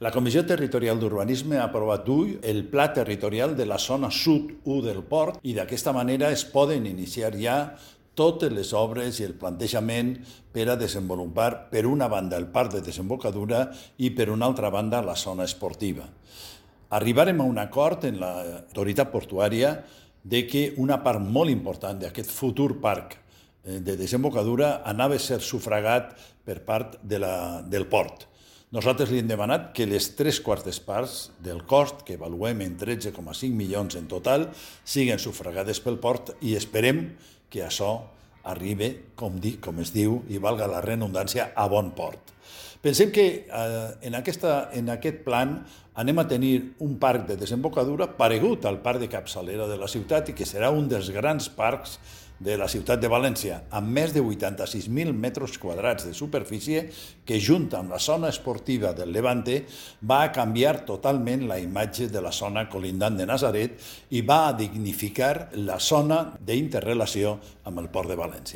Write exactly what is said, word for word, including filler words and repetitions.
La Comissió Territorial d'Urbanisme ha aprovat avui el Pla Territorial de la Zona Sud u del Port i d'aquesta manera es poden iniciar ja totes les obres i el plantejament per a desenvolupar, per una banda, el parc de desembocadura i, per una altra banda, la zona esportiva. Arribarem a un acord en l'autoritat portuària de que una part molt important d'aquest futur parc de desembocadura anava a ser sufragat per part de la, del port. Nosaltres li hem demanat que les tres quartes parts del cost, que avaluem en tretze coma cinc milions en total, siguin sufragades pel port i esperem que això arribi, com, di, com es diu, i valga la redundància, a bon port. Pensem que eh, en, aquesta, en aquest plan anem a tenir un parc de desembocadura paregut al parc de capçalera de la ciutat i que serà un dels grans parcs de la ciutat de València, amb més de vuitanta-sis mil metres quadrats de superfície que, junt amb la zona esportiva del Levante, va a canviar totalment la imatge de la zona colindant de Natzaret i va a dignificar la zona d'interrelació amb el Port de València.